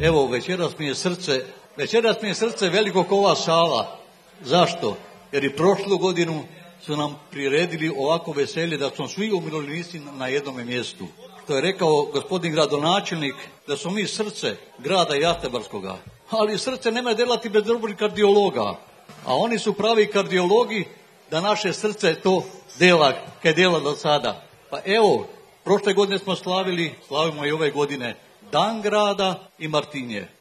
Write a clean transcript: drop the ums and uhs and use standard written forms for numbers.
Evo, večeras mi je srce veliko kao ova sala. Zašto? Jer i prošlu godinu su nam priredili ovako veselje da smo svi umirovljenici na jednom mjestu. To je rekao gospodin gradonačelnik da smo mi srce grada Jastrebarskoga. Ali srce nema delati bez dobrih kardiologa. A oni su pravi kardiologi da naše srce to dela, kaj dela do sada. Pa evo, prošle godine smo slavimo i ove godine Dan grada i Martinje.